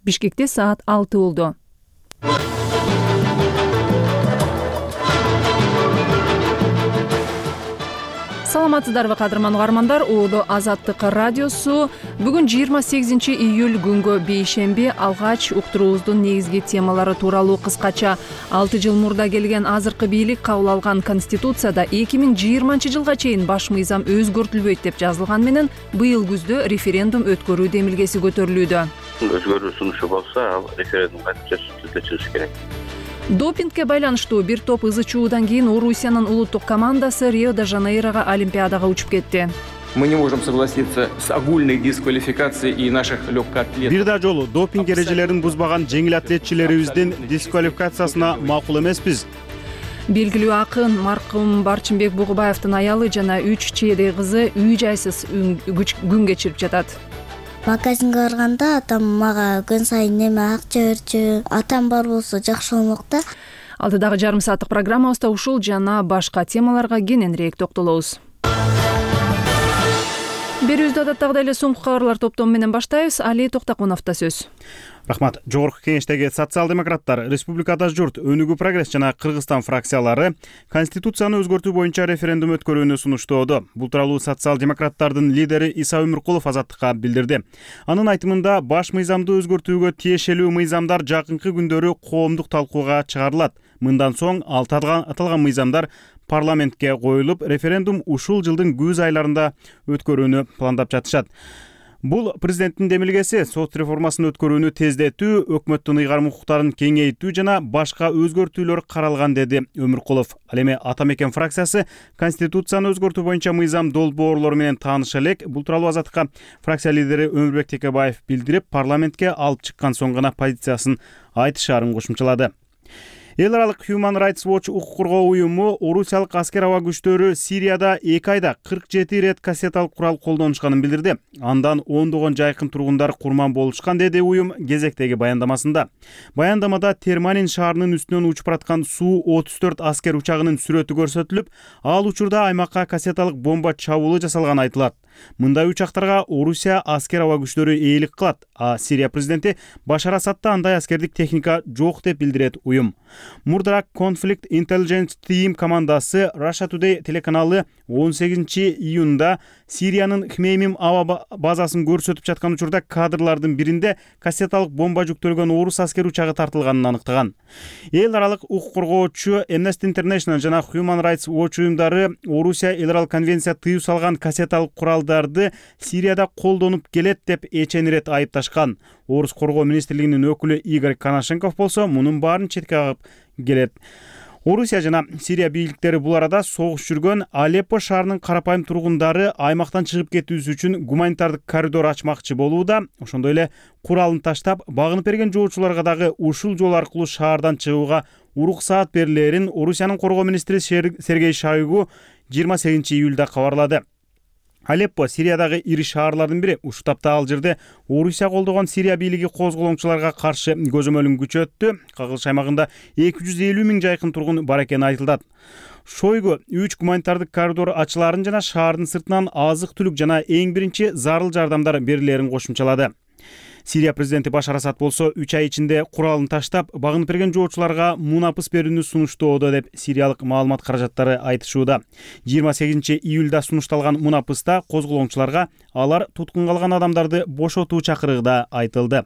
Бишкекте саат 6 болду. Саламатсыздарбы кадырман угармандар, Улуу Азаттык радиосу бүгүн 28 июль күнгө бейшемби алгач уктуруубуздун негизги темалары тууралуу кыскача 6 жыл мурда келген азыркы бийлик кабыл алган Конституцияда 2020 жылга чейин баш мыйзам өзгөртүлбөйт деп жазылган менен быйыл күздө референдум өткөрүү демилгеси көтөрүлүүдө. Өзгөрүү сунушу болсо, ал референдумга түзүлүш керек. Допингге байланыштуу бир топ ызы чуудан кийин Орусиянын улуттук командасы Рио-де-Жанейрого Олимпиадага учуп кетти. Мы не можем согласиться с огульной дисквалификацией и наших легкоатлетов. Бир да жолу допинг эрежелерин бузбаган жеңил атлетчилерибиздин дисквалификациясына макул эмеспиз. Белгилүү акын маркум Барчынбек Бугубаевдин аялы жана 3 чейдей кызы үй жайсыз күн кечирип жатат. Магазинге барганда атам мага күн сайын неме акча берчү. Атам бар болсо жакшы болмок да. Алдыдагы жарым сааттык программабызда ушул жана башка темаларга кененирээк токтолобуз. Берүүбүздү адаттагыдай эле соңку кабарлар топтому менен баштайбыз. Али Токтокуновдо сөз. Рахмат. Жогорку кеңештеги социал-демократтар, Республикада журт, Өнүгүү прогресс жана Кыргызстан фракциялары Конституцияны өзгөртүү боюнча референдум өткөрүүнү сунуштоодо. Бул тууралуу социал-демократтардын лидери Иса Өмүркулов Азаттыкка билдирди. Анын айтымында баш мыйзамды өзгөртүүгө тиешелүү мыйзамдар жакынкы күндөрү коомдук талкууга чыгарылат. Мындан соң аталган мыйзамдар парламентке коюлуп, референдум ушул жылдын күз айларында өткөрүүнү пландап жатышат. Бул президенттин демилгеси сот реформасын өткөрүүнү тездетүү, өкмөттүн ыйгарым укуктарын кеңейтүү жана башка өзгөртүүлөр каралган, деди Өмүркулов. Ал эми Ата Мекен фракциясы Конституцияны өзгөртүү боюнча мыйзам долбоорлору менен тааныша элек. Бул тууралуу Азаттыкка фракция лидери Өмүрбек Текебаев билдирип, парламентке алып чыккан соң гана позициясын айтышаарын кошумчалады. Эл аралык Human Rights Watch укук коргоо уюму орусиялык аскер аба күчтөрү Сирияда 2 айда 47 рет кассеталык курал колдонушканын билдирди. Андан ондогон жайкын тургундар курман болушкан, деди уюм кезектеги баяндамасында. Баяндамада Терманин шаарынын үстүнөн учуп бараткан Су-34 аскер учагынын сүрөтү көрсөтүлүп, ал учурда аймакка кассеталык бомба чабуулу жасалганы айтылат. Мындай учактарга Орусия аскер аба күчтөрү ээлик кылат, а Сирия президенти Башар Асадда андай аскердик техника жок деп билдирет уюм. Мурдараак Conflict Intelligence Team командасы Russia Today телеканалы 18 июнда Сириянын Хмеймим аба базасын көрсөтүп жаткан учурда кадрлардын биринде кассеталык бомба жүктөлгөн орус аскер учагы тартылганын аныктаган. Эл аралык укук коргоочу Amnesty International жана Human Rights Watch уюмдары Орусия эл аралык конвенция тыюу салган кассеталык куралдарды Сирияда колдонуп келет деп эчен ирет айыпташкан. Орус коргоо министрлигинин өкүлү Игорь Коношенков болсо мунун баарын четке кагып келет. Орусия жана Сирия бийликтери бул арада согуш жүргөн Алеппо шаарынын карапайым тургундары аймактан чыгып кетүүсү үчүн гуманитардык коридор ачмакчы болууда. Ошондой эле куралын таштап, багынып берген жоочуларга дагы ушул жол аркылуу шаардан чыгууга уруксаат берилерин Орусиянын коргоо министри Сергей Шойгу 28 июлда кабарлады. Алеппо Сириядагы ири шаарлардын бири. Ушул тапта ал жерде Орусия колдогон Сирия бийлиги козголоңчуларга каршы көзөмөлүн күчөттү. Кагылыш аймагында 250 миң жайкын тургун бар экени айтылат. Шойгу 3 гуманитардык коридор ачыларын жана шаардын сыртынан азык-түлүк жана эң биринчи зарыл жардамдар берилерин кошумчалады. Сирия президенти Башар Асад болсо 3 ай ичинде куралын таштап, багынып берген жоочуларга мунапыс берүүнү сунуштоодо деп сириялык маалымат каражаттары айтышууда. 28 июлда сунушталган мунапыста козголоңчуларга алар туткунга алган адамдарды бошотуу чакырыгы да айтылды.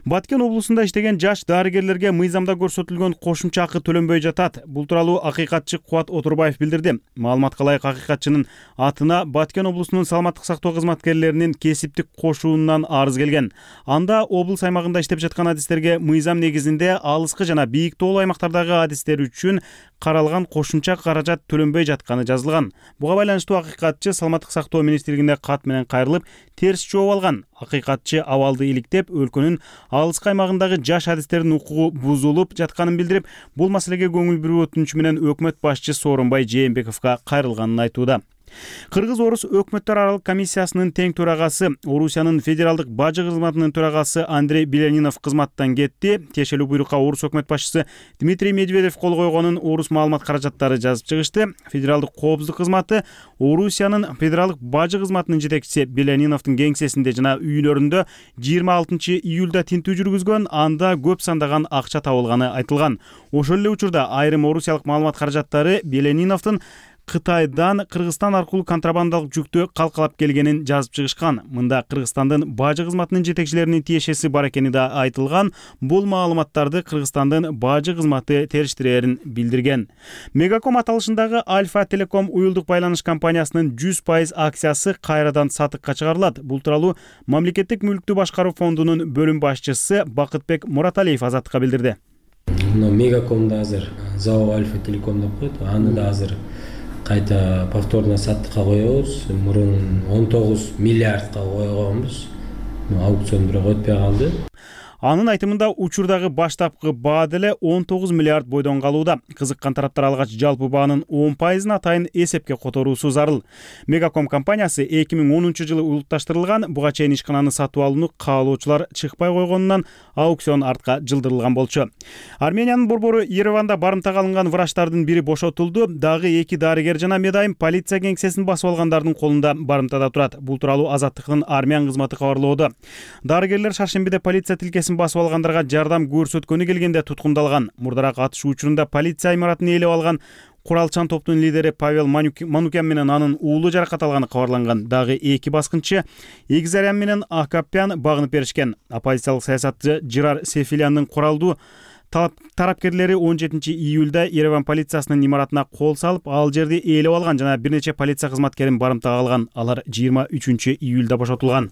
Баткен облусунда иштеген жаш дарыгерлерге мыйзамда көрсөтүлгөн кошумча акы төлөнбөй жатат. Бул тууралуу акыйкатчы Кубат Отурбаев билдирди. Маалыматка ылайык акыйкатчынын атына Баткен облусунун саламаттык сактоо кызматкерлеринин кесиптик кошуунан арыз келген. Анда облус аймагында иштеп жаткан адистерге мыйзам негизинде алыскы жана бийик тоолуу аймактардагы адистер үчүн каралган кошумча каражат төлөнбөй жатканы жазылган. Буга байланыштуу акыйкатчы саламаттык сактоо министрлигине кат менен кайрылып, терс жооп алган. Акыйкатчы абалды иликтеп, өлкөнүн алыскы аймагындагы жаш адистердин укугу бузулуп жатканын билдирип, бул маселеге көңүл буруу өтүнүчү менен өкмөт башчы Сооронбай Жээнбековго кайрылганын айтууда. Кыргыз-орус өкмөттөр аралык комиссиясынын тең төрагасы, Орусиянын федералдык бажы кызматынын төрагасы Андрей Белянинов кызматтан кетти. Тиешелүү буйрукка Орус өкмөт башчысы Дмитрий Медведев кол койгонун Орус маалымат каражаттары жазып чыгышты. Федералдык коопсуздук кызматы Орусиянын федералдык бажы кызматынын жетекчиси Беляниновдун кеңсесинде жана үйлөрүндө 26 июлда тинтүү жүргүзгөн, анда көп сандаган акча табылганы айтылган. Ошол эле учурда айрым орусиялык маалымат каражаттары Беляниновдун Кытайдан Кыргызстан аркылуу контрабандалык жүктү калкалап келгенин жазып чыгышкан. Мында Кыргызстандын бажы кызматынын жетекчилеринин тиешеси бар экени да айтылган. Бул маалыматтарды Кыргызстандын бажы кызматы териштирээрин билдирген. Мегаком аталышындагы Альфа Телеком уюлдук байланыш компаниясынын 100% акциясы кайрадан сатыкка чыгарылат. Бул тууралуу Мамлекеттик мүлктү башкаруу фондунун бөлүм башчысы Бакытбек Мураталиев Азаттыкка билдирди. Мегакомду азыр ЗАО Альфа Телеком деп коет. Аны да азыр кайта повторно саттыкка коебуз. Мурун 19 миллиардка койгонбуз. Аукцион бирок өтпөй калды. Анын айтымында учурдагы баштапкы баа деле 19 миллиард бойдон калууда. Кызыккан тараптар алгач жалпы баанын 10%-ын атайын эсепке которуусу зарыл. Мегаком компаниясы 2010 жылы улутташтырылган, буга чейин ишкананы сатып алууну каалоочулар чыкпай койгонунан аукцион артка жылдырылган болчу. Армениянын борбору Ереванда барымтага алынган врачтардын бири бошотулду. Дагы 2 дарыгер жана медайым полиция кеңсесин басып алгандардын колунда барымтада турат. Бул тууралуу Азаттыктын армян кызматы кабарлоодо. Дарыгерлер шаршембиде полиция тилкесин басып алгандарга жардам көрсөткөнү келгенде туткундалган. Мурдараак атышуу учурунда полиция имаратын ээлеп алган куралчан топтун лидери Павел Манукян менен анын уулу жаракат алганы кабарланган. Дагы 2 баскынчы Эгзарян менен Акапян багынып беришкен. Оппозициялык саясатчы Жирар Сефиляндын куралдуу тарапкерлери 17 июлда Ереван полициясынын имаратына кол салып, ал жерди ээлеп алган жана бир нече полиция кызматкерин барымтага алган. Алар 23 июлда бошотулган.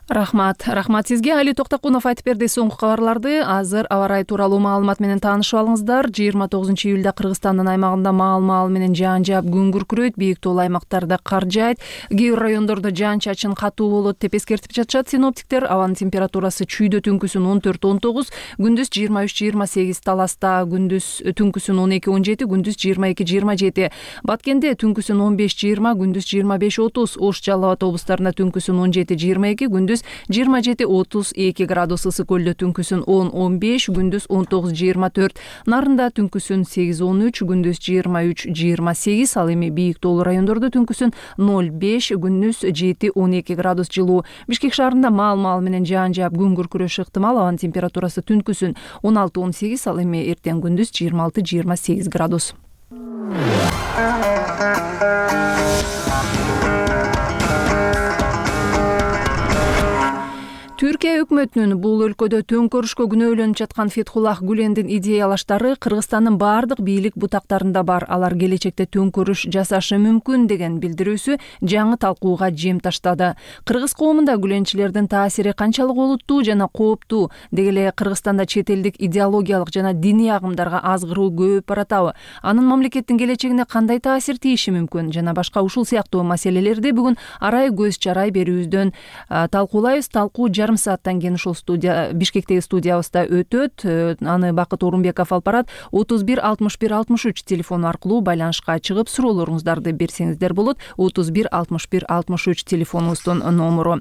Рахмат сизге. Али Токтокунов айтып берди соңку кабарларды. Азыр аба ырайы тууралуу маалымат менен таанышып алыңыздар. 29 июлда Кыргызстандын аймагында маал менен жаан жаап күн күркүрөйт, бийик тоолуу аймактарда кар жаайт, кээ бир райондордо жаан-чачын катуу болот деп эскертип жатышат синоптиктер. Абанын температурасы чүйдө түнкүсүн 14-19, күндүз 23-28 Таласта, күндүз түнкүсүн 12-17, күндүз 22-27, Баткенде түнкүсүн 15-20, күндүз 25-30, Ош, Жалал Абад облустарында түнкүсүн 17-22, күндүз 27-32 градус, Ысык көлдө түнкүсүн 10-15, күндүз 19-24, Нарында түнкүсүн 8-13, күндүз 23-28, ал эми бийик тоолуу райондордо түнкүсүн 0-5, күндүз 7-12 градус жылуу. Бишкек шаарында маал менен жаан жаап күн күркүрөшү ыктымал. Абанын температурасы түнкүсүн 16-18, ал эми эртең күндүз 26-28 градус. Түркия өкмөтүнүн бул өлкөдө төңкөрүшкө күнөөлөнүп жаткан Фетхуллах Гүлендин идеялаштары Кыргызстандын бардык бийлик бутактарында бар. Алар келечекте төңкөрүш жасашы мүмкүн деген билдирүүсү жаңы талкууга жем таштады. Кыргыз коомунда Гүленчилердин таасири канчалык олуттуу жана кооптуу, деги эле Кыргызстанда чет элдик идеологиялык жана диний агымдарга азгыруу көбөйүп баратабы, анын мамлекеттин келечегине кандай таасир тийиши мүмкүн жана башка ушул сыяктуу маселелерди бүгүн арай көз чарай берүүбүздөн талкуулайбыз. Талкуу жарым сааттан кийин ушул Бишкектеги студиябызда өтөт. Аны Бакыт Орунбеков алып барат. 31 61 63 телефону аркылуу байланышка чыгып суроолоруңуздарды берсеңиздер болот. 31 61 63 телефонубуздун номуру.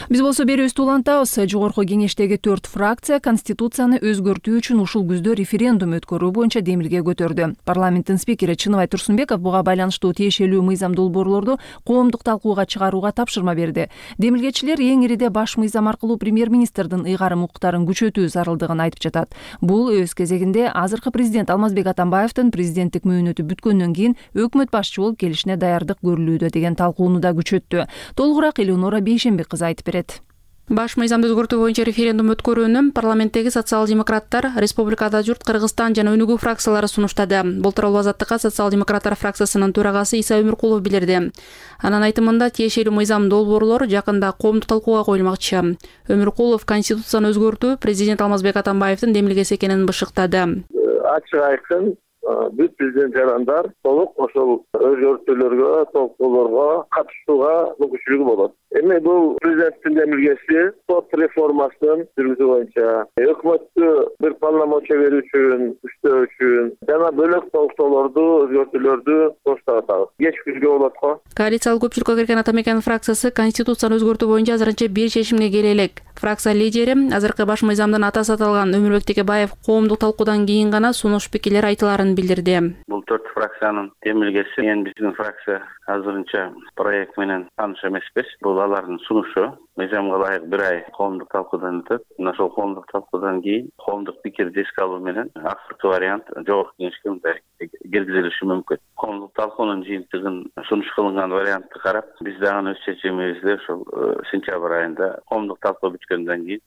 Биз болсо берүүбүздү улантабыз. Жогорку кеңештеги 4 фракция Конституцияны өзгөртүү үчүн ушул күздө референдум өткөрүү боюнча демилге көтөрдү. Парламенттин спикери Чыныбай Турсунбеков буга байланыштуу тиешелүү мыйзам долбоорлорду коомдук талкууга чыгарууга тапшырма берди. Демилгечилер эң ириде баш мыйзам аркылуу премьер-министрдин ыйгарым укуктарын күчөтүү зарылдыгын айтып жатат. Бул өз кезегинде азыркы президент Алмазбек Атамбаевдин президенттик мөөнөтү бүткөндөн кийин өкмөт башчы болуп келишине даярдык көрүлүүдө деген талкууну да күчөттү. Толугураак Элеонора Бейшенбек кызы айтып берет. Баш мыйзамды өзгөртүү боюнча референдум өткөрүүнү парламенттеги социал-демократтар, Республикада журт, Кыргызстан жана Өнүгүү фракциялары сунуштады. Бул тууралуу Азаттыкка социал-демократтар фракциясынын төрагасы Иса Өмүркулов билдирди. Анын айтымында тиешелүү мыйзам долбоорлор жакында коомдук талкууга коюлмакчы. Өмүркулов Конституцияны өзгөртүү президент Алмазбек Атамбаевдин демилгеси экенин бышыктады. Ачык айкын бүт президент жарандар толук ошол өзгөртүүлөргө, толуктоолорго катышууга мүмкүнчүлүгү болот. Эми бул президенттин демилгеси сот реформасын жүргүзүү боюнча өкмөттү бир полномочия берүү үчүн, күчтөө үчүн жана бөлөк толуктоолорду, өзгөртүүлөрдү коштап атабыз. Кеч күзгө болот го. Коалициялык көпчүлүккө кирген Ата Мекен фракциясы конституцияны өзгөртүү боюнча азырынча бир чечимге келе элек. Фракция лидери азыркы баш мыйзамдын атасы аталган Өмүрбек Текебаев коомдук талкуудан кийин гана сунуш пикирлер айтыларын билдирди. Бул 4 фракциянын демилгеси, эми биздин фракция азырынча проект менен тааныш эмеспиз. Бул алардын сунушу. Мыйзамга ылайык бир ай коомдук талкуудан өтөт. Ошол коомдук талкуудан кийин коомдук пикирди эске алуу менен акыркы вариант жогорку кеңешке мындай киргизилиши мүмкүн. Коомдук талкуунун жыйынтыгын сунуш кылынган вариантты карап, биз дагы өз чечимибизди ошол сентябрь айында коомдук талкуу бүткөндөн кийин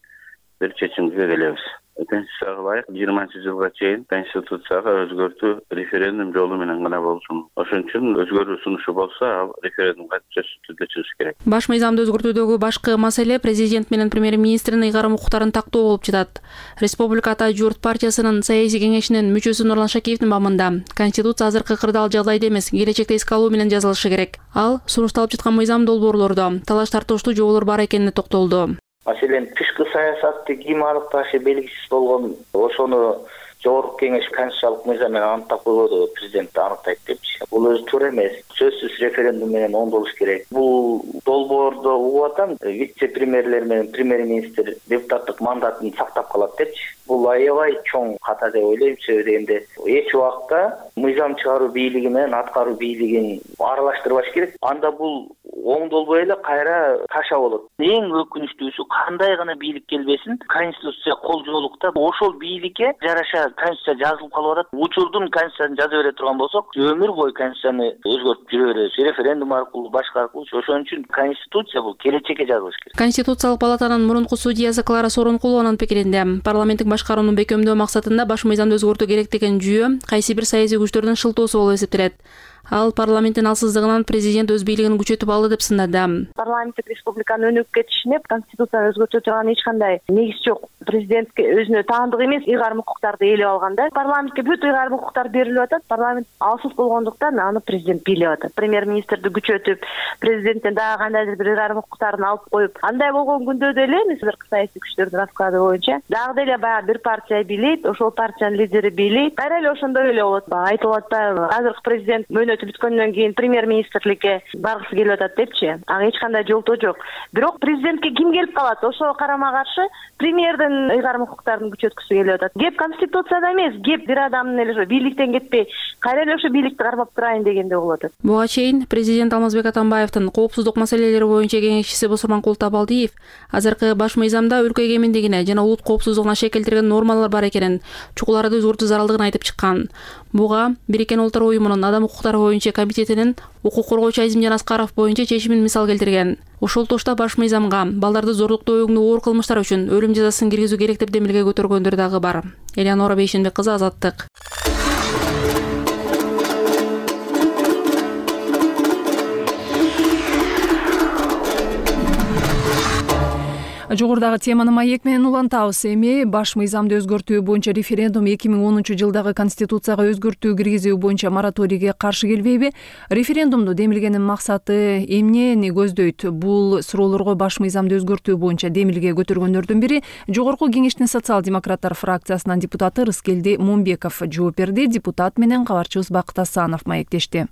бир чечимге келебиз. Конституцияга ылайык 20-жылга чейин конституцияга өзгөртүү референдум жолу менен гана болсун. Ошон үчүн өзгөрүү сунушу болсо, ал референдумга сөзсүз түрдө чыгыш керек. Баш мыйзамды өзгөртүүдөгү башкы маселе президент менен премьер-министрдин ыйгарым укуктарын тактоо болуп жатат. Республика Ата Журт партиясынын саясий кеңешинин мүчөсү Нурлан Шакиевдин бамында конституция азыркы кырдаал жагдайда эмес, келечекте эске алуу менен жазылышы керек. Ал сунушталып жаткан мыйзам долбоорлордо талаш тартыштуу жоболор бар экенине токтолду. Маселен, тышкы саясатты ким аныкташы белгисиз болгон, ошону жогорку кеңеш конституциялык мыйзам менен аныктап койбоду, президент аныктайт депчи. Бул өзү туура эмес. Сөзсүз референдум менен оңдолуш керек. Бул долбоордо угуп атам, вице-премьерлер менен премьер-министр депутаттык мандатын сактап калат депчи. Бул аябай чоң ката деп ойлойм. Себеби дегенде эч убакта мыйзам чыгаруу бийлиги менен аткаруу бийлигин аралаштырбаш керек. Анда бул оңдолбой эле кайра таша болот. Эң өкүнүчтүүсү, кандай гана бийлик келбесин, конституция колжоолукта ошол бийликке жараша конституция жазылып калып атат. Учурдун конституциясын жаза бере турган болсок, өмүр бою конституцияны өзгөртүп жүрө беребиз. Референдум аркылуу, башка аркылуу. Ошон үчүн конституция бул келечекке жазылыш керек. Конституциялык палатанын мурунку судьясы Клара Сооронкулованын пикиринде, парламенттик башкарууну бекемдөө максатында баш мыйзамды өзгөртүү керек деген жүйө кайсы бир саясий күчтөрдүн шылтоосу болуп эсептелет. Ал парламенттин алсыздыгынан президент өз бийлигин күчөтүп алды деп сындады. Парламенттик республиканын өнүгүп кетишине конституцияны өзгөртө турган эч кандай негиз жок. Президентке өзүнө таандык эмес ыйгарым укуктарды ээлеп алганда, парламентке бүт ыйгарым укуктар берилип атат. Парламент алсыз болгондуктан аны президент бийлеп атат. Премьер-министрди күчөтүп, президенттен дагы кандайдыр бир ыйгарым укуктарын алып коюп, андай болгон күндө деле азыркы саясий күчтөрдүн расклады боюнча дагы деле баягы бир партия бийлейт, ошол партиянын лидери бийлейт. Кайра эле ошондой эле болот. Айтылып атпайбы? Азыркы президент бүткөндөн кийин премьер-министрликке баргысы келип атат депчи. Ага эч кандай жолтоо жок. Бирок президентке ким келип калат? Ошого карама каршы премьердин ыйгарым укуктарын күчөткүсү келип атат. Кеп конституцияда эмес, кеп бир адамдын эле бийликтен кетпей, кайра эле ошо бийликти кармап турайын дегенде болуп атат. Буга чейин президент Алмазбек Атамбаевдин коопсуздук маселелери боюнча кеңешчиси Босурманкул Табалдиев азыркы баш мыйзамда өлкө эгемендигине жана улут коопсуздугуна шекелтирген нормалар бар экенин, чукуларды өзгөртүү зарылдыгын айтып чыккан. Буга Бириккен Улуттар уюмунун адам укуктары боюнча комитетинин укук коргоочу Азимжан Аскаров боюнча чечимин мисал келтирген. Ошол тошто баш мыйзамга балдарды зорлуктоо өгүнүү оор кылмыштар үчүн өлүм жазасын киргизүү керек деп демилге көтөргөндөр дагы бар. Элеонора Бейшенбек кызы, Азаттык. Жогорудагы теманы маек менен улантабыз. Эми баш мыйзамды өзгөртүү боюнча референдум 2010-жылдагы конституцияга өзгөртүү киргизүү боюнча мораторийге каршы келбейби? Референдумду демилгенин максаты эмнени көздөйт? Бул суроолорго баш мыйзамды өзгөртүү боюнча демилге көтөргөндөрдүн бири Жогорку кеңештин социал-демократтар фракциясынын депутаты Рыскелди Момбеков жооп берди. Депутат менен кабарчыбыз Бакыт Асанов маектешти.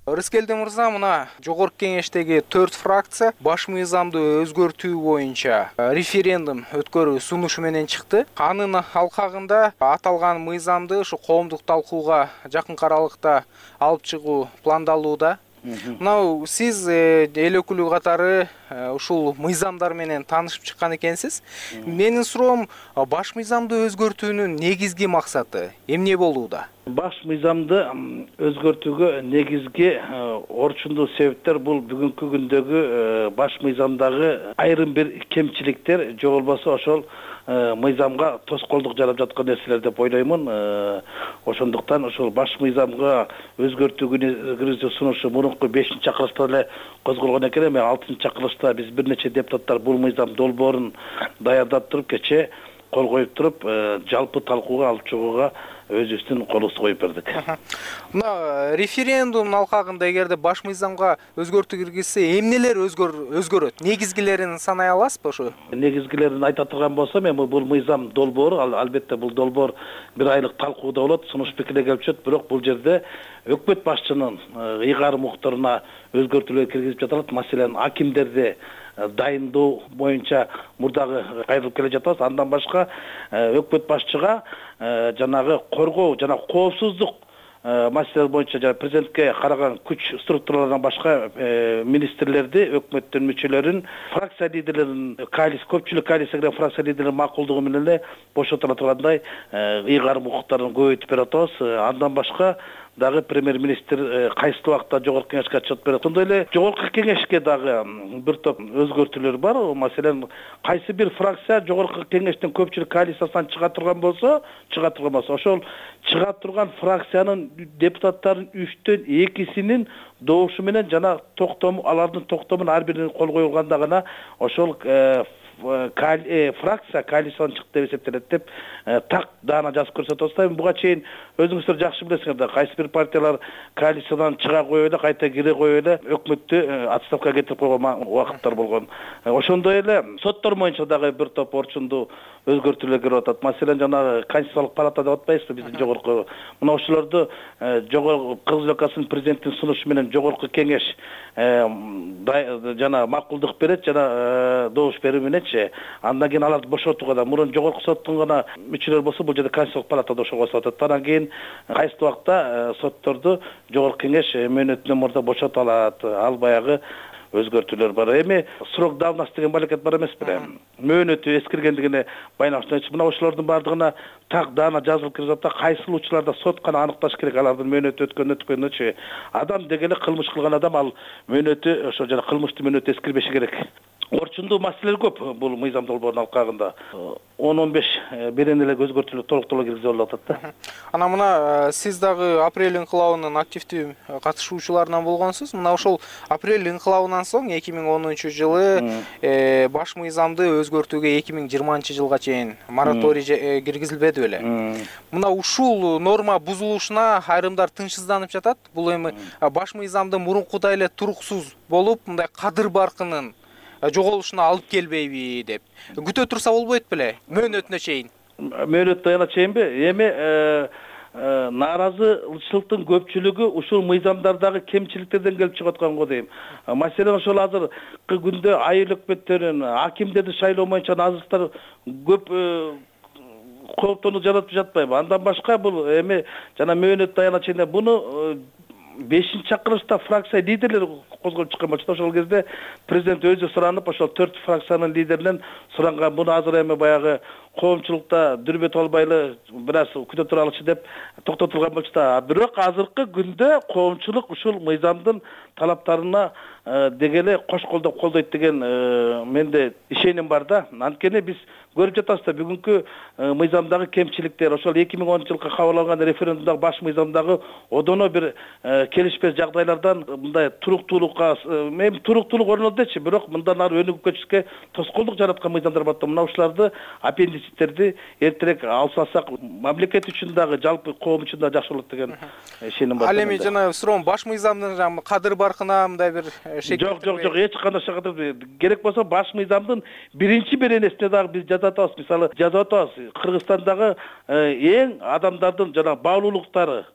Рыскелди мырза, мына жогорку кеңештеги 4 фракция баш мыйзамды өзгөртүү боюнча референдум өткөрүү сунушу менен чыкты. Анын алкагында аталган мыйзамды ушу коомдук талкууга жакынкы аралыкта алып чыгуу пландалууда. Мына сиз эл өкүлү катары ушул мыйзамдар менен таанышып чыккан экенсиз. Менин суроом, баш мыйзамды өзгөртүүнүн негизги максаты эмне болууда? Баш мыйзамды өзгөртүүгө негизги орчундуу себептер бул бүгүнкү күндөгү баш мыйзамдагы айрым бир кемчиликтер, же болбосо ошол мыйзамга тоскоолдук жарап жаткан нерселер деп ойлоймун. Ошондуктан ошол баш мыйзамга өзгөртүү киргизүү сунушу мурунку 5-чакырылышта эле козголгон экен. Эми 6-чакырылышта биз бир нече депутаттар бул мыйзам долбоорун даярдап туруп, кече кол коюп туруп, жалпы талкууга алып чыгууга өзүбүздүн колубузду коюп бердик. Мына референдумдун алкагында эгерде баш мыйзамга өзгөртүү киргизсе, эмнелер өзгөрөт? Негизгилерин санай аласызбы ошо? Негизгилерин айта турган болсом, эми бул мыйзам долбоору, албетте бул долбоор 1 айлык талкууда болот, сунуш пикирге келип түшөт, бирок бул жерде өкмөт башчынын ыйгарым укуктарына өзгөртүүлөр киргизип жатат. Маселен, акимдерди дайындоо боюнча мурдагы кайрылып келе жатабыз. Андан башка өкмөт башчыга жанагы коргоо жана коопсуздук маселелер боюнча жана президентке караган күч структураларынан башка министрлерди, өкмөттүн мүчөлөрүн, фракция лидерлерин, көпчүлүк коалиция кирген фракция лидерлеринин макулдугу менен эле бошотула тургандай ыйгарым укуктарын көбөйтүп берип атабыз. Андан башка дагы премьер-министр кайсы убакта жогорку кеңешке отчет берет. Ошондой эле жогорку кеңешке дагы бир топ өзгөртүүлөр бар. Маселен, кайсы бир фракция жогорку кеңештин көпчүлүк коалициясынан чыга турган болсо, ошол чыга турган фракциянын депутаттарынын 3төн 2синин добушу менен жана алардын токтомун ар бирине кол коюлганда гана ошол фракция коалициядан чыкты деп эсептелет деп так даана жазып көрсөтүп атабыз. Буга чейин өзүңүздөр жакшы билесиңер да, кайсы бир партиялар коалициядан чыга коюп эле, кайта кире коюп эле өкмөттү отставкага кетирип койгон убакыттар болгон. Ошондой эле соттор боюнча дагы бир топ орчундуу өзгөртүүлөр кирип атат. Маселен, жанагы Конституциялык палата деп атпайбызбы биздин жогорку. Мына ошолорду жогорку Кыргыз Республикасынын президентинин сунушу менен жогорку кеңеш жана макулдук берет, жана добуш берүү мененчи андан кийин аларды бошотууга да мурун жогорку соттун гана мүчөлөр болсо, бул жерде Конституциялык палатада ошого косулат. Андан кийин кайсы убакта сотторду жогорку кеңеш мөөнөтүнөн мурда бошото алат. Ал баягы өзгөртүүлөр бар. Эми срок давности деген балекет бар эмеспи? Мөөнөтү эскиргендигине байланыштуу. Мына ошолордун бардыгына так даана жазылып кирип атат. Кайсыл учурларда сот гана аныкташ керек алардын мөөнөтү өткөнүнчү. Адам дегеле кылмыш кылган адам, ал мөөнөтү ошо жана кылмыштын мөөнөтү эскирбеши керек. Орчундуу маселелер көп бул мыйзам долбоорунун алкагында. 10-15 берен эле өзгөртүүлөр толуктуулук киргизип алып атат да. Ана мына сиз дагы апрель инкылабынын активдүү катышуучуларынан болгонсуз. Мына ошол апрель инкылабынан соң 2010-жылы баш мыйзамды өзгөртүүгө 2020-жылга чейин мораторий киргизилбеди беле. Мына ушул норма бузулушуна айрымдар тынчсызданып жатат. Бул эми баш мыйзамды мурункудай эле туруксуз болуп, мындай кадыр баркынын жоголушуна алып келбейби деп күтө турса болбойт беле? Мөөнөтүнө чейин. Мөөнөтүнө чейинби? Эми нааразычылыктын көпчүлүгү ушул мыйзамдардагы кемчиликтерден келип чыгып аткан го дейм. Маселен, ошол азыркы күндө айыл өкмөттөрүн, акимдерди шайлоо боюнча азыркытар көп кооптонуу жаратып жатпайбы? Андан башка бул эми жана мөөнөт даяна чейин буну 5-чакырылышта фракция лидерлери козгоп чыккан болчу. Ошол кезде президент өзү суранып, ошол 4 фракциянын лидеринен суранган. Буну азыр эми баягы коомчулукта дүрбөтүп албай эле бир аз күтө туралычы деп токтотулган болчу да. Бирок азыркы күндө коомчулук ушул мыйзамдын талаптарына дегеле кош колдоп колдойт деген менде ишеним бар да. Анткени биз көрүп жатабыз да, бүгүнкү мыйзамдагы кемчиликтер, ошол 2010-жылкы кабыл алган референдумдагы баш мыйзамдагы одоно бир келишпес жагдайлардан мындай туруктуулукка, эми туруктуулук орнолду дечи, бирок мындан ары өнүгүп кетишке тоскоолдук жараткан мыйзамдар бар да. Мына ушуларды аппендициттерди эртерээк алсак, мамлекет үчүн дагы, жалпы коом үчүн дагы жакшы болот деген ишеним бар. Ал эми жана суроом, баш мыйзамдын кадыр баркына мындай бир жок, эч кандай кадыр керек болсо баш мыйзамдын биринчи беренесине дагы биз жазып атабыз. Мисалы, жазып атабыз, Кыргызстандагы эң адамдардын жана баалуулуктары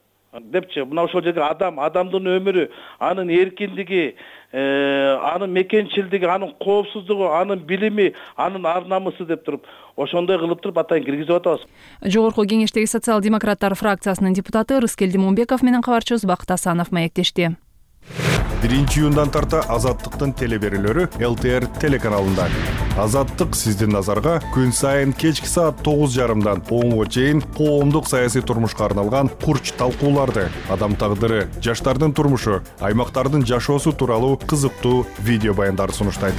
депчи. Мына ошол жерге адамдын өмүрү, анын эркиндиги, анын мекенчилдиги, анын коопсуздугу, анын билими, анын ар намысы деп туруп, ошондой кылып туруп атайын киргизип атабыз. Жогорку кеңештеги социал-демократтар фракциясынын депутаты Рыскелди Момбеков менен кабарчыбыз Бакыт Асанов маектешти. 1-июндан тарта Азаттыктын телеберүүлөрү ЛТР телеканалында. Азаттык сиздин назарга күн сайын кечки саат 9:30дан 10:00 чейин коомдук саясий турмушка арналган курч талкууларды, адам тагдыры, жаштардын турмушу, аймактардын жашоосу тууралуу кызыктуу видео баяндарды сунуштайт.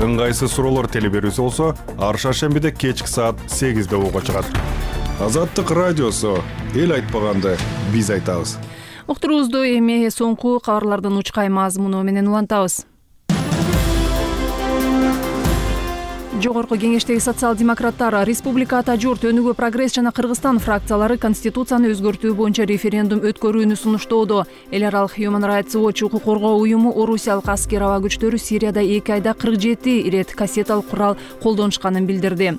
Ыңгайсыз суроолор телеберүүсү болсо, ар шаршембиде кечки саат 8:00 угууга чыгат. Азаттык радиосу, эл айтпаганды биз айтабыз. Уктуруубузду эми соңку кабарлардын учкай мазмуну менен улантабыз. Жогорку кеңештеги социал-демократтар Республика Ата журт, Өнүгүү Прогресс жана Кыргызстан фракциялары Конституцияны өзгөртүү боюнча референдум өткөрүүнү сунуштоодо. Эл аралык Human Rights Watch укук коргоо уюму орусиялык аскер аба күчтөрү Сирияда 2 айда 47 ирет кассеталык курал колдонушканын билдирди.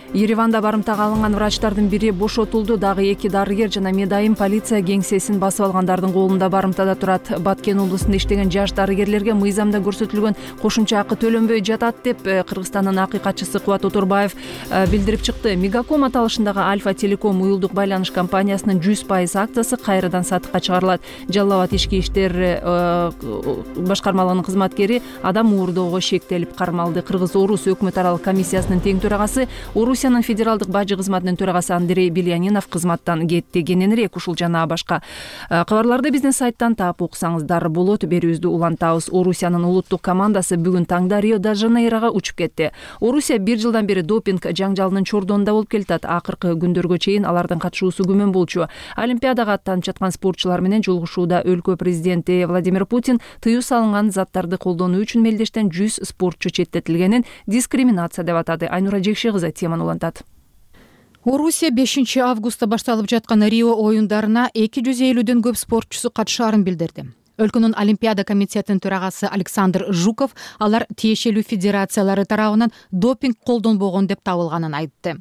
Ереванда барымтага алынган врачтардын бири бошотулду. Дагы 2 дарыгер жана медайым полиция кеңсесин басып алгандардын колунда барымтада турат. Баткен облусунда иштеген жаш дарыгерлерге мыйзамда көрсөтүлгөн кошумча акы төлөнбөй жатат деп Кыргызстандын акыйкатчысы Кубат Отурбаев билдирип чыкты. Мегаком аталышындагы Альфа Телеком уюлдук байланыш компаниясынын 100% акциясы кайрадан сатыкка чыгарылат. Жалал Абад ички иштер башкармалыгынын кызматкери адам уурдоого шектелип кармалды. Кыргыз-Орус өкмөт аралык комиссиясынын тең төрагасы, Орусиянын федералдык бажы кызматынын төрагасы Андрей Белянинов кызматтан кетти. Кененирээк ушул жана башка кабарларды биздин сайттан таап окусаңыздар болот. Берүүбүздү улантабыз. Орусиянын улуттук командасы бүгүн таңда Рио-де-Жанейрого учуп кетти. Орусия 1 жылдан бери допинг жаңжалынын чордонунда болуп келатат. Акыркы күндөргө чейин алардын катышуусу күмөн болчу. Олимпиадага аттанып жаткан спортчулар менен жолугушууда өлкө президенти Владимир Путин тыюу салынган заттарды колдонуу үчүн мелдештен 100 спортчу четтетилгенин дискриминация деп атады. Айнура Жекши кызы теманы улантат. Орусия 5 августта башталып жаткан Рио оюндарына 250дөн көп спортчусу катышаарын билдирди. Өлкөнүн Олимпиада комитетинин төрагасы Александр Жуков алар тиешелүү федерациялары тарабынан допинг колдонбогон деп табылганын айтты.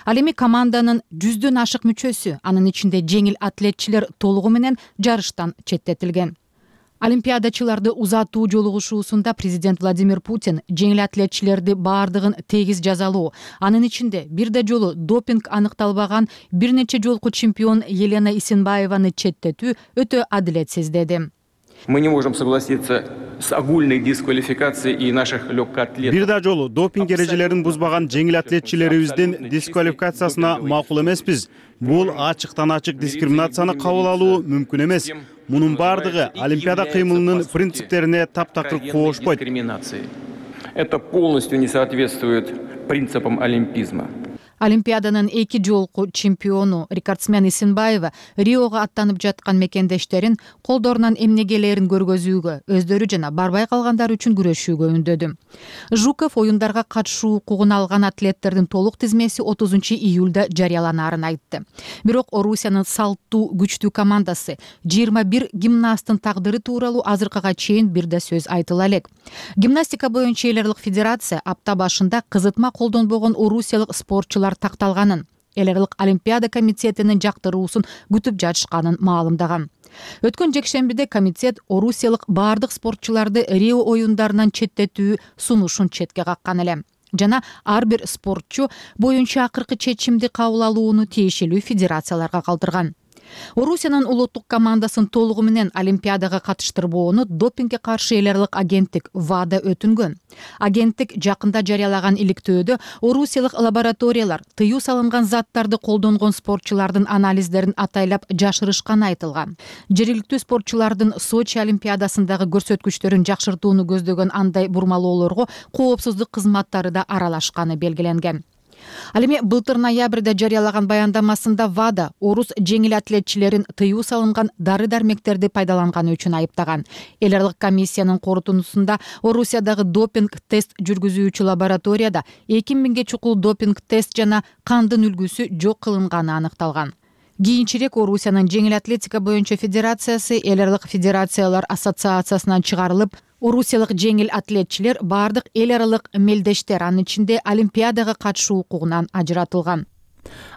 Ал эми команданын 100дөн ашык мүчөсү, анын ичинде жеңил атлетчилер толугу менен жарыштан четтетилген. Олимпиадачыларды узатуу жолугушуусунда президент Владимир Путин жеңил атлетчилерди баардыгын тегиз жазалоо, анын ичинде бир да жолу допинг аныкталбаган бир нече жолку чемпион Елена Исенбаеваны четтетүү өтө адилетсиз деди. Мы не можем согласиться с огульной дисквалификацией и наших легкоатлетов. Бир да жолу допинг эрежелерин бузбаган жеңил атлетчилерибиздин дисквалификациясына макул эмеспиз. Бул ачыктан ачык дискриминацияны кабыл алуу мүмкүн эмес. Мунун бардыгы Олимпиада кыймылынын принциптерине таптакыр коошпойт. Это полностью не соответствует принципам олимпизма. Олимпиаданын 2 жолку чемпиону рекордсмен Исенбаева Риого аттанып жаткан мекендештерин колдорунан эмнегелерин көргөзүүгө, өздөрү жана барбай калгандар үчүн күрөшүүгө үндөдү. Жуков оюндарга катышуу укугун алган атлеттердин толук тизмеси 30 июлда жарыяланаарын айтты. Бирок Орусиянын салттуу күчтүү командасы 21 гимнасттын тагдыры тууралуу азыркыга чейин бир да сөз айтыла элек. Гимнастика боюнча эл аралык федерация апта башында кызытма колдонбогон орусиялык спортчулар такталганын, эл аралык Олимпиада комитетинин жактыруусун күтүп жатышканын маалымдаган. Өткөн жекшембиде комитет орусиялык баардык спортчуларды Рио оюндарынан четтетүү сунушун четке каккан эле. Жана ар бир спортчу боюнча акыркы чечимди кабыл алууну тиешелүү федерацияларга калтырган. Орусиянын улуттук командасын толугу менен Олимпиадага катыштырбоону допингге каршы эл аралык агенттик ВАДА өтүнгөн. Агенттик жакында жарыялаган иликтөөдө орусиялык лабораториялар тыюу салынган заттарды колдонгон спортчулардын анализдерин атайлап жашырышканы айтылган. Жергиликтүү спортчулардын Сочи Олимпиадасындагы көрсөткүчтөрүн жакшыртууну көздөгөн андай бурмалоолорго коопсуздук кызматтары да аралашканы белгиленген. Ал эми былтыр ноябрда жарыялаган баяндамасында ВАДА орус жеңил атлетчилерин тыюу салынган дары-дармектерди пайдаланганы үчүн айыптаган. Эл аралык комиссиянын корутундусунда Орусиядагы допинг тест жүргүзүүчү лабораторияда 2000ге чукул допинг тест жана кандын үлгүсү жок кылынганы аныкталган. Кийинчерээк Орусиянын жеңил атлетика боюнча федерациясы эл аралык федерациялар ассоциациясынан чыгарылып, орусиялык жеңил атлетчилер баардык эл аралык мелдештер, анын ичинде Олимпиадага катышуу укугунан ажыратылган.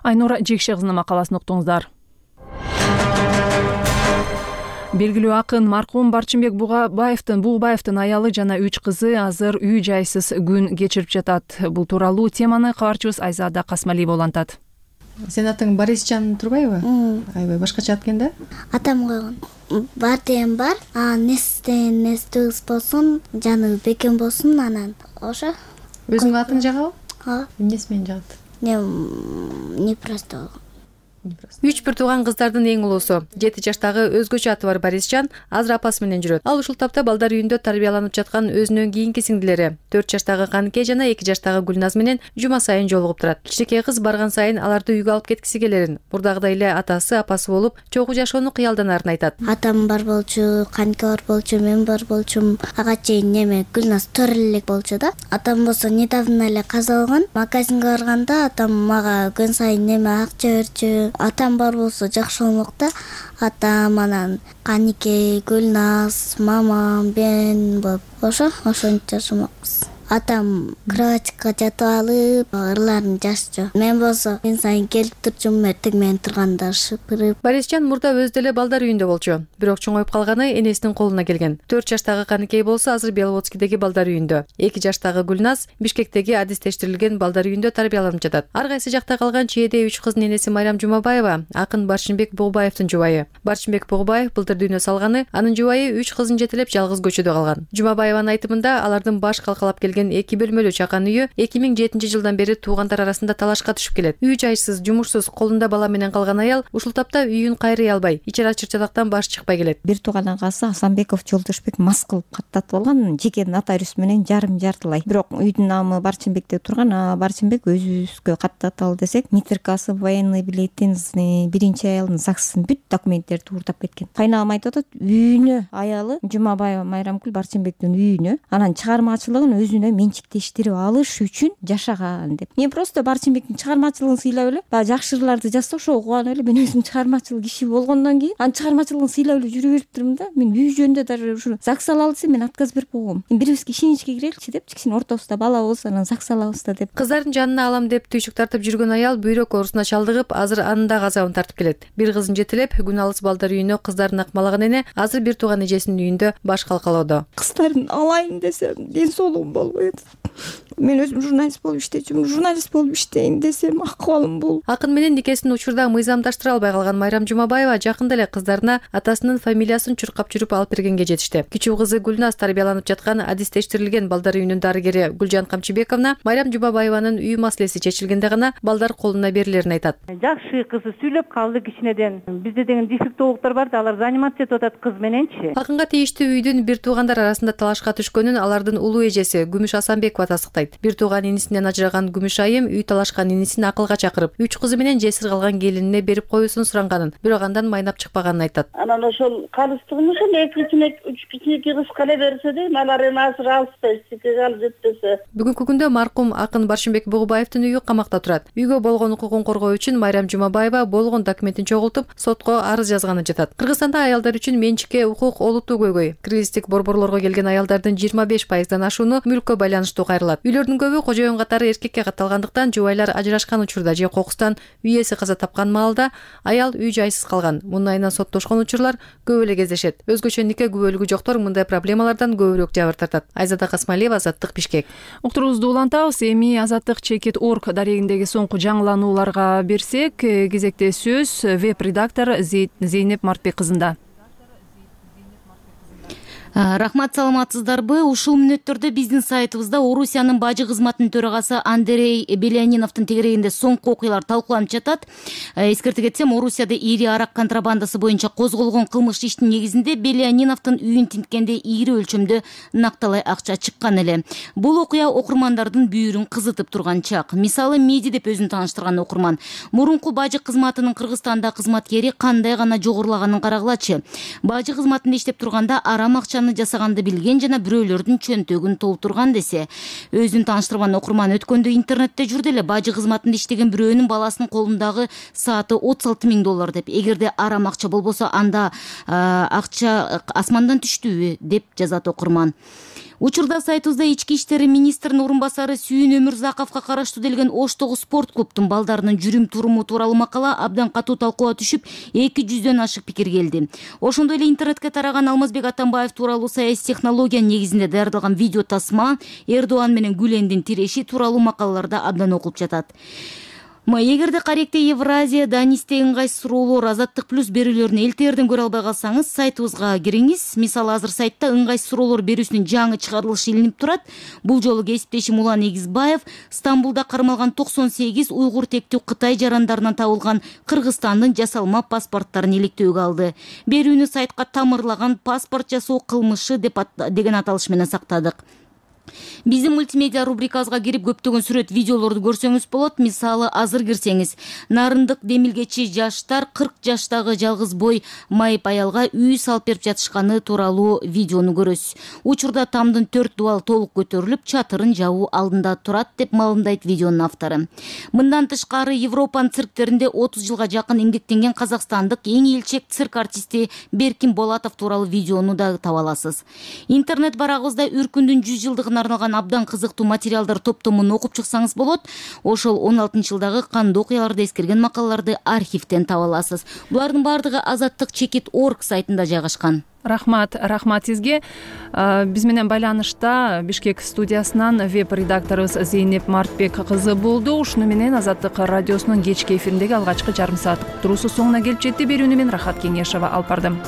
Айнура Жекши кызынын макаласын уктуңуздар. Белгилүү акын маркум Барчынбек Бугубаевдин аялы жана 3 кызы азыр үй жайсыз күн кечирип жатат. Бул тууралуу теманы кабарчыбыз Айзада Касмалиева улантат. Сен атың Борисжан Турбаева? Аябай башкача ат экен да? Атам койгон. Бар деген бар, нестен нестүгүс болсун, жаны бекем болсун, анан ошо. Өзүңүн атың жагабы? Ооба. Эмнеси менен жагат? Не просто. 3 бир тууган кыздардын эң улуусу 7 жаштагы өзгөчө аты бар Борисжан азыр апасы менен жүрөт. Ал ушул тапта балдар үйүндө тарбияланып жаткан өзүнөн кийинки сиңдилери 4 жаштагы Каныке жана 2 жаштагы Гүлназ менен жума сайын жолугуп турат. Кичинекей кыз барган сайын аларды үйгө алып кеткиси келерин, мурдагыдай эле атасы, апасы болуп, чогуу жашоону кыялданарын айтат. Атам бар болчу, Каныке бар болчу, мен бар болчум. Ага чейин неме Гүлназ төрөлө элек болчу да. Атам болсо недавно эле каза болгон. Магазинге барганда атам мага күн сайын неме акча берчү. Атам бар болсо жакшы болмок да. Атам анан Каныке, Гүлназ, мамам, мен болуп ошентип жашамакпыз. Атам кроватька жатып алып, ырларын жашчу. Мен болсо күн сайын келип турчумун, эртең менен турганда шыпырып. Борисжан мурда өздөлө балдар үйүндө болчу, бирок чоңоюп калганы энесинин колуна келген. 4 жаштагы Каныкей болсо азыр Беловодскийдеги балдар үйүндө. 2 жаштагы Гүлназ Бишкектеги адистештирилген балдар үйүндө тарбияланып жатат. Ар кайсы жакта калган чээде 3 кыздын энеси Майрам Жумабаева акын Барчынбек Бугубаевдин жубайы. Барчынбек Бугубаев былтыр дүйнө салганы, анын жубайы 3 кызын жетелеп жалгыз көчөдө калган. Жумабаеванын айтымында алардын баш калкалап келген 2 бөлмөлүү чакан үйү 2007 жылдан бери туугандар арасында талашка түшүп келет. Үй жайсыз, жумушсуз, колунда бала менен калган аял ушул тапта үйүн кайрый албай, ичер чырчалактан баш чыкпай келет. Бир тууган агасы Асанбеков Жолдошбек мас кылып каттатып алган, жеке нотариус менен жартылай. Бирок үйдүн намы Барчынбекте турган, Барчынбек өзүбүзгө каттаталы десек, метрикасы, военный билетин, биринчи аялдын ЗАГСын бүт документтерди уурдап кеткен. Кайнагам айтып атат, үйүнө аялы Жумабаева Майрамкүл Барчынбектин үйүнө, анан чыгармачылыгын өзүнө менчиктештирип алыш үчүн жашаган деп. Мен просто Барчынбектин чыгармачылыгын сыйлап эле, баягы жакшы ырларды жазса ошого кубанып эле, мен өзүм чыгармачыл киши болгондон кийин анын чыгармачылыгын сыйлап эле жүрө бериптирмин да. Мен үй жөнүндө даже ушу ЗАГС алалы десе мен отказ берип койгом. Бирибизге ишеничке киреличи деп, кичине ортобузда бала болсо анан ЗАГС алабыз да деп. Кыздардын жанына алам деп түйшүк тартып жүргөн аял бүйрөк оорусуна чалдыгып, азыр анын да газабын тартып келет. Бир кызын жетелеп, күн алыс балдар үйүнө кыздарын акмалаган эне азыр бир тууган эжесинин үйүндө баш калкалоодо. Кыздарын алайын десем, ден соолугум болбой атат. Мен өзүм журналист болуп иштечүмүн, журналист болуп иштейин десем акыбалым бул. Акын менен никесин учурда мыйзамдаштыра албай калган Майрам Жумабаева жакында эле кыздарына атасынын фамилиясын чуркап жүрүп алып бергенге жетишти. Кичүү кызы Гүлназ тарбияланып жаткан адистештирилген балдар үйүнүн дарыгери Гүлжан Камчыбековна Майрам Жумабаеванын үй маселеси чечилгенде гана балдар колуна берилерин айтат. Жакшы кызы сүйлөп калды кичинеден. Бизде деген дефектологдор бар да, алар заниматься этип атат кыз мененчи. Акынга тийиштүү үйдүн бир туугандар арасында талашка түшкөнүн алардын улуу эжеси Күмүш Асанбекова тастыктайт. Бир тууган инисинен ажыраган Күмүш айым үй талашкан инисин акылга чакырып, 3 кызы менен жесир калган келинине берип коюусун суранганын, бирок андан майнап чыкпаганын айтат. Анан ошол калыстыгын ошол 2 кичинекей кыз кала берсе дейм, алар эми азыр алышпайт, сикеге алып жетпесе. Бүгүнкү күндө маркум акын Барчынбек Бугубаевдин үйү камакта турат. Үйгө болгон укугун коргоо үчүн Майрам Жумабаева болгон документин чогултуп, сотко арыз жазганы жатат. Кыргызстанда аялдар үчүн менчикке укук олуттуу көйгөй. Кризистик борборлорго келген аялдардын 25%дан ашууну мүлккө байланыштуу кайрылат. Үйлөрдүн көбү кожоюн катары эркекке катталгандыктан жубайлар ажырашкан учурда же кокустан үй ээси каза тапкан маалда аял үй жайсыз калган. Мунун айынан соттошкон учурлар көп эле кездешет. Өзгөчө нике күбөлүгү жоктор мындай проблемалардан көбүрөөк жабыр тартат. Айзада Касмалиева, Азаттык, Бишкек. Уктуруубузду улантабыз. Эми Азаттык Чекит.org дарегиндеги соңку жаңыланууларга берсек, кезекте сөз веб-редактор Зейнеп Мартбек кызында. Рахмат, саламатсыздарбы? Ушул мүнөттөрдө биздин сайтыбызда Орусиянын бажы кызматынын төрагасы Андрей Беляниновдун тегерегинде соңку окуялар талкууланып жатат. Эскерте кетсем, Орусияда ири арак контрабандасы боюнча козголгон кылмыш иштин негизинде Беляниновдун үйүн тинткенде ири өлчөмдө накталай акча чыккан эле. Бул окуя окурмандардын бүйүрүн кызытып турган чак. Мисалы, Меди деп өзүн тааныштырган окурман мурунку бажы кызматынын Кыргызстанда кызматкери кандай гана жогорулаганын карагылачы. Бажы кызматында иштеп турганда арам акча жасаганды билген жана бирөөлөрдүн чөнтөгүн толтурган десе. Өзүн тааныштырган окурман өткөндө интернетте жүрдү эле бажы кызматында иштеген бирөөнүн баласынын колундагы сааты $36,000 деп. Эгерде арам акча болбосо, анда акча асмандан түштүбү деп жазат окурман. Учурда сайтыбызда Ички иштери министринин орун басары Сүйүн Өмүрзаковго караштуу делген Оштогу спорт клубтун балдарынын жүрүм туруму тууралуу макала абдан катуу талкууга түшүп, 200дөн ашык пикир келди. Ошондой эле интернетке тараган Алмазбек Атамбаев тууралуу саясий технология негизинде даярдалган видео тасма, Эрдоан менен Гүлендин тиреши тууралуу макалаларда абдан окулуп жатат. Эгерде каректе Евразия, Данистеги ыңгайсыз суроолор, Азаттык плюс берүүлөрүн ЛТРден көрө албай калсаңыз, сайтыбызга кириңиз. Мисалы, азыр сайтта ыңгайсыз суроолор берүүсүнүн жаңы чыгарылышы илинип турат. Бул жолу кесиптешим Улан Эгизбаев Стамбулда кармалган 98 уйгур тектүү Кытай жарандарынан табылган Кыргызстандын жасалма паспорттарын иликтөөгө алды. Берүүнү сайтка тамырлаган паспорт жасоо кылмышы деген аталыш менен сактадык. Биздин мультимедиа рубрикабызга кирип көптөгөн сүрөт, видеолорду көрсөңүз болот. Мисалы, азыр кирсеңиз, Нарындык демилгечи жаштар 40 жаштагы жалгыз бой майып аялга үй салып берип жатышканы тууралуу видеону көрөсүз. Учурда тамдын 4 дубал толук көтөрүлүп, чатырын жабуу алдында турат деп маалымдайт видеонун автору. Мындан тышкары, Европанын цирктеринде 30 жылга жакын эмгектенген казакстандык эң элчек цирк артисти Беркин Болатов тууралуу видеону да таба аласыз. Интернет барагыбызда Үркүндүн 100 жылдыгына арналган абдан кызыктуу материалдар топтомун окуп чыксаңыз болот. Ошол 16-жылдагы кандуу окуяларды эскерген макалаларды архивден таба аласыз. Булардын баардыгы azattik.org сайтында жайгашкан. Рахмат сизге. Биз менен байланышта Бишкек студиясынан веб-редакторубуз Зейнеп Мартбек кызы болду. Ушуну менен Азаттык радиосунун кечки эфириндеги алгачкы жарым саат туруусу соңуна келип жетти. Берүүнү мен Рахат Кеңешова алып бардым.